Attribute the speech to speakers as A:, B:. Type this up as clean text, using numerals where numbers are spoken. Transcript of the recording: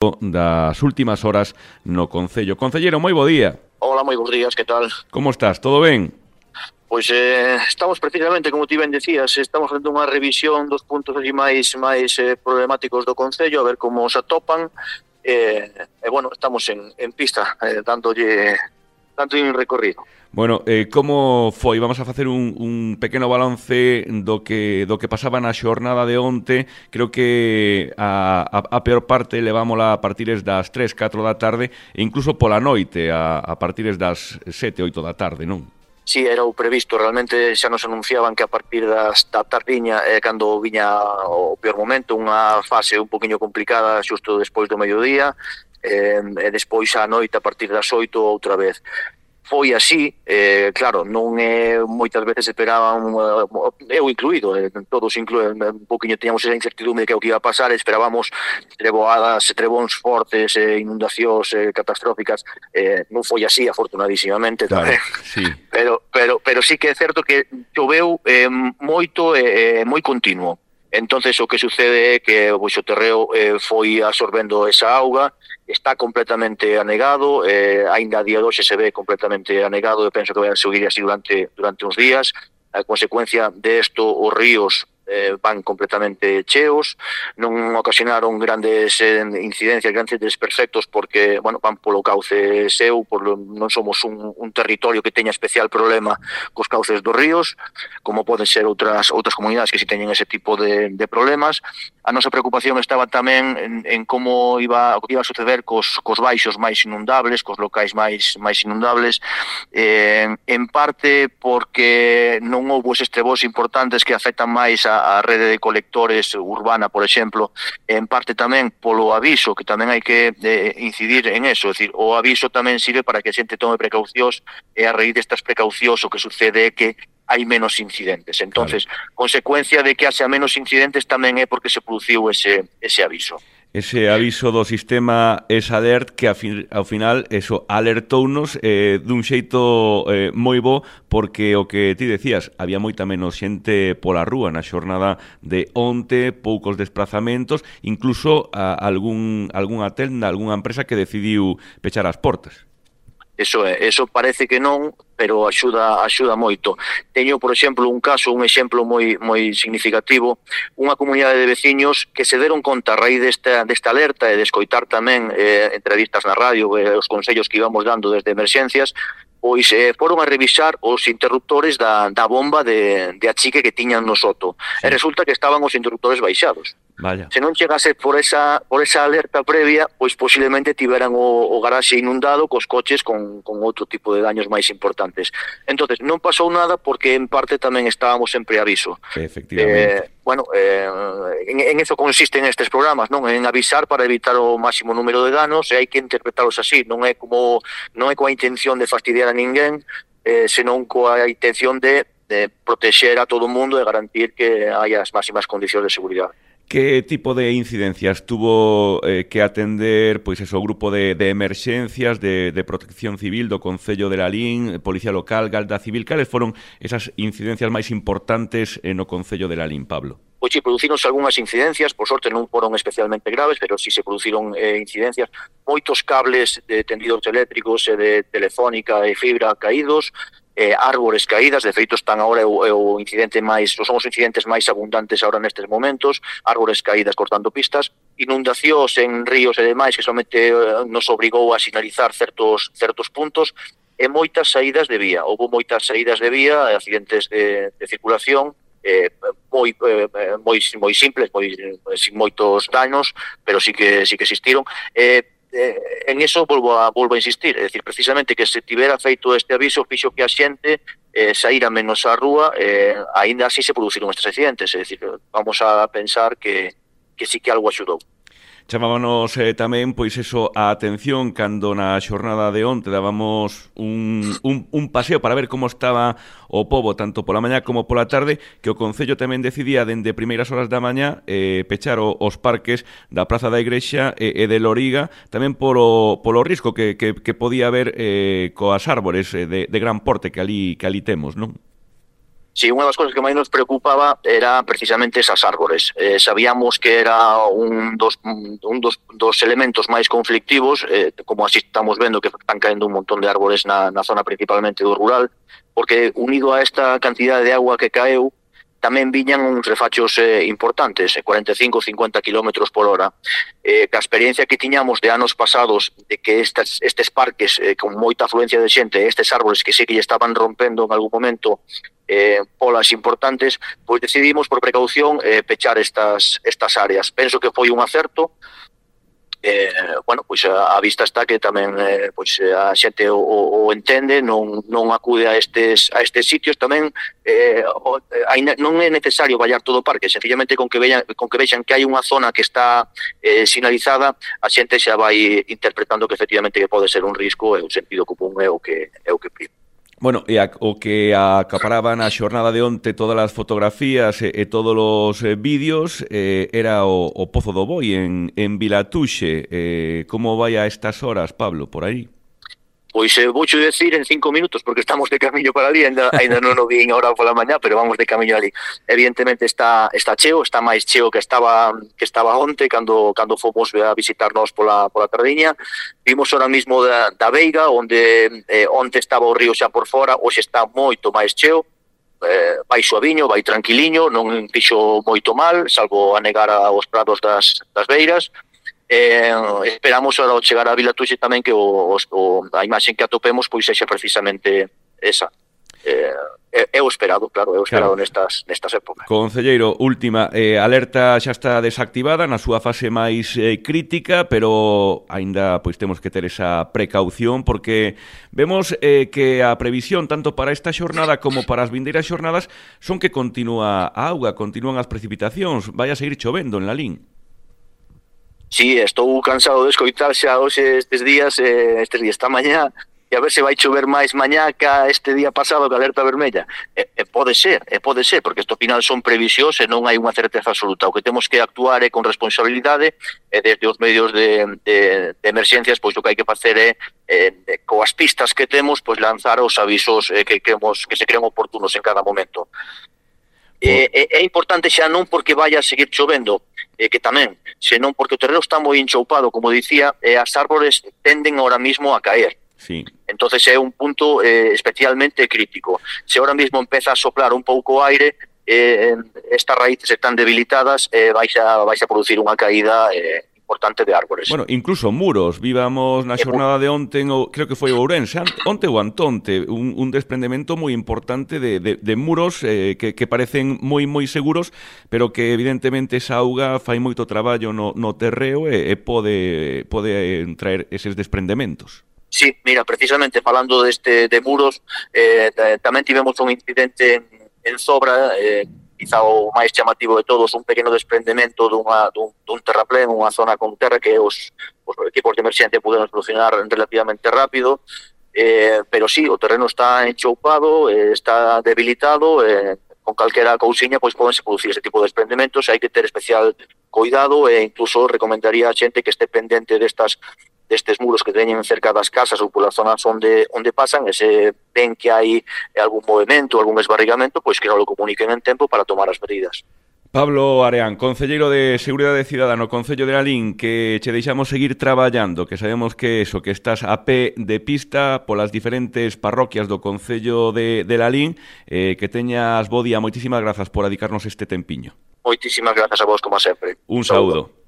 A: das últimas horas no Concello. Concelleiro, moi bo día.
B: Hola, moi bons días, que tal?
A: Como estás? Todo ben?
B: Pois estamos precisamente, como ti ben decías, estamos facendo unha revisión dos puntos ali máis problemáticos do Concello, a ver como se atopan, bueno, estamos en pista, dándolle un recorrido.
A: Bueno, como foi? Vamos a facer un pequeno balance do que pasaba na xornada de onte. Creo que a peor parte levámola a partires das 3, 4 da tarde e incluso pola noite a partires das 7, 8 da tarde, non?
B: Sí, era o previsto, realmente xa nos anunciaban que a partir da tardiña cando viña o peor momento, unha fase un poquinho complicada xusto despois do mediodía, e despois á noite a partir das 8 outra vez. Foi así, claro, non moitas veces esperaban, eu incluído, todos incluídos, un poquinho teníamos esa incertidumbre de que o que iba a pasar, esperábamos trebóns fortes, inundacións catastróficas, non foi así, afortunadísimamente,
A: Claro,
B: tamén.
A: sí.
B: Pero sí que é certo que choveu moito e moi continuo. Entonces o que sucede é que o terreo foi absorbendo esa auga, está completamente anegado, aínda a día de hoxe se ve completamente anegado e penso que vai a seguir así durante uns días. A consecuencia de isto, os ríos van completamente cheos, non ocasionaron grandes incidencias, grandes desperfectos porque, bueno, van polo cauce seu, non somos un territorio que teña especial problema cos cauces dos ríos, como poden ser outras comunidades que si teñen ese tipo de problemas. A nosa preocupación estaba tamén en como iba a suceder cos baixos máis inundables, cos locais máis inundables, en parte porque non houbo eses trebós importantes que afectan máis a rede de colectores urbana, por exemplo, en parte tamén polo aviso, que tamén hai que incidir en eso, é dicir, o aviso tamén sirve para que a xente tome precaucións e a raíz destas precaucións o que sucede é que hai menos incidentes. Entonces, claro, consecuencia de que haxa menos incidentes tamén é porque se produciu ese aviso.
A: Ese aviso do sistema ESALERT que ao final eso alertounos dun xeito moi bo, porque o que ti decías, había moita menos xente pola rúa na xornada de onte, poucos desplazamentos, incluso algunha tenda, algunha empresa que decidiu pechar as portas.
B: Eso parece que non, pero axuda moito. Teño, por exemplo, un exemplo moi significativo, unha comunidade de veciños que se deron conta a raíz desta alerta e de escoitar tamén entrevistas na radio e os consellos que íbamos dando desde emerxencias, pois foron a revisar os interruptores da bomba de achique que tiñan no soto. Sí. E resulta que estaban os interruptores baixados.
A: Vaya.
B: Se non chegase por esa alerta previa, pois posiblemente tiveran o garaxe inundado cos coches con outro tipo de daños máis importantes. Entonces, non pasou nada porque en parte tamén estábamos en preaviso.
A: Efectivamente.
B: En eso consisten estes programas, non? En avisar para evitar o máximo número de danos, e hai que interpretalos así, non é coa intención de fastidiar a ninguén, senón coa intención de protexer a todo o mundo e garantir que hai as máximas condicións de seguridade.
A: Que tipo de incidencias tuvo que atender pois eso, o grupo de emerxencias de protección civil do Concello de Lalín, Policía Local, Garda Civil? Cales foron esas incidencias máis importantes no Concello de Lalín, Pablo?
B: Pois si, producironse algunhas incidencias, por sorte non foron especialmente graves, pero si se produciron incidencias, moitos cables de tendidos eléctricos e de telefónica e fibra caídos, árbores caídas, de feito están agora o incidente son os incidentes máis abundantes agora nestes momentos, árbores caídas cortando pistas, inundacións en ríos e demais que somente nos obrigou a sinalizar certos puntos, e moitas saídas de vía. Houve moitas saídas de vía, accidentes de circulación, moi simples, sin moitos daños, pero sí que existiron. En eso volvo a insistir, é dicir, precisamente que se tivera feito este aviso fixo que a xente saíra menos á rúa, aínda así se produciron estes accidentes, é dicir, vamos a pensar que sí que algo axudou.
A: Chamábanos tamén, pois eso, a atención cando na xornada de onte dábamos un paseo para ver como estaba o pobo, tanto pola mañá como pola tarde, que o Concello tamén decidía dende primeiras horas da mañá pechar os parques da Praza da Igrexa e de Loriga, tamén polo risco que podía haber coas árbores de gran porte que ali temos, non?
B: Sí, unha das cousas que máis nos preocupaba era precisamente esas árbores. Sabíamos que era dos elementos máis conflictivos, como así estamos vendo que están caendo un montón de árbores na zona principalmente do rural, porque unido a esta cantidad de agua que caeu, tamén viñan uns refachos importantes, 45-50 kilómetros por hora. Que a experiencia que tiñamos de anos pasados de que estes parques con moita afluencia de xente, estes árboles que sí que lle estaban rompendo en algún momento polas importantes, pois decidimos por precaución pechar estas áreas. Penso que foi un acerto. Bueno, pois a vista está que tamén pois a xente o entende, non acude a estes sitios tamén. Non é necesario vallar todo o parque, sencillamente con que vexan que hai unha zona que está sinalizada, a xente xa vai interpretando que efectivamente que pode ser un risco, e o sentido común é o que prima.
A: Bueno, e o que acaparaba na xornada de onte todas as fotografías e todos os vídeos era o Pozo do Boi en Vilatuxe. Como vai a estas horas, Pablo, por aí?
B: Pois voucho decir en 5 minutos, porque estamos de camiño para ali, ainda non o vin ahora pola mañá, pero vamos de camiño ali. Evidentemente está cheo, está máis cheo que estaba onte, cando fomos a visitarnos pola tardiña. Vimos ahora mismo da Veiga, onde onte estaba o río xa por fora, hoxe está moito máis cheo, vai suaviño, vai tranquiliño, non fixo moito mal, salvo anegar aos prados das beiras. Esperamos ahora ao chegar a Vilatuxe tamén que a imaxe que atopemos pois sexa precisamente esa. É o esperado, claro, nestas épocas.
A: Concelleiro, última, alerta xa está desactivada na súa fase máis crítica, pero aínda pois temos que ter esa precaución porque vemos que a previsión tanto para esta xornada como para as vindeiras xornadas son que continúa a auga, continúan as precipitacións, vai a seguir chovendo en Lalín.
B: Sí, estou cansado de escoitar xa hoxe estes días esta mañá, e a ver se vai chover máis mañá que este día pasado que alerta vermella. Pode ser, porque isto ao final son previsións e non hai unha certeza absoluta. O que temos que actuar é con responsabilidade, e desde os medios de emerxencias, pois o que hai que facer é coas pistas que temos, pois lanzar os avisos que se crean oportunos en cada momento. É importante xa non porque vaya a seguir chovendo, que tamén, senón porque o terreno está moi enchoupado, como dicía, e as árbores tenden ahora mismo a caer.
A: Sí.
B: Entonces é un punto especialmente crítico. Se ahora mismo empeza a soplar un pouco o aire, estas raíces están debilitadas, vais a producir unha caída importante de árbores.
A: Bueno, incluso muros. Vivamos na xornada de onte, creo que foi o Ourense, onte ou antonte, un desprendemento moi importante de muros que parecen moi seguros, pero que evidentemente esa auga fai moito traballo no terreo e pode traer eses desprendementos.
B: Sí, mira, precisamente falando de muros, tamén tivemos un incidente en Zobra, quizá o máis chamativo de todos, un pequeno desprendemento dun terraplén, unha zona con terra que os equipos de emerxencia puderon solucionar relativamente rápido, pero sí, o terreno está enchoupado, está debilitado, con calquera cousiña pois podense producir ese tipo de desprendementos, hai que ter especial cuidado e incluso recomendaría a xente que este pendente destes muros que teñen cerca das casas ou polas zonas onde pasan, e se ven que hai algún movimento, algún esbarrigamento, pois que non lo comuniquen en tempo para tomar as medidas.
A: Pablo Areán, concelleiro de Seguridade Cidadá no Concello de Lalín, que che deixamos seguir traballando, que sabemos que estás a pé de pista polas diferentes parroquias do Concello de Lalín, que teñas bo día. Moitísimas grazas por dedicarnos este tempiño.
B: Moitísimas grazas a vos, como sempre.
A: Un saúdo.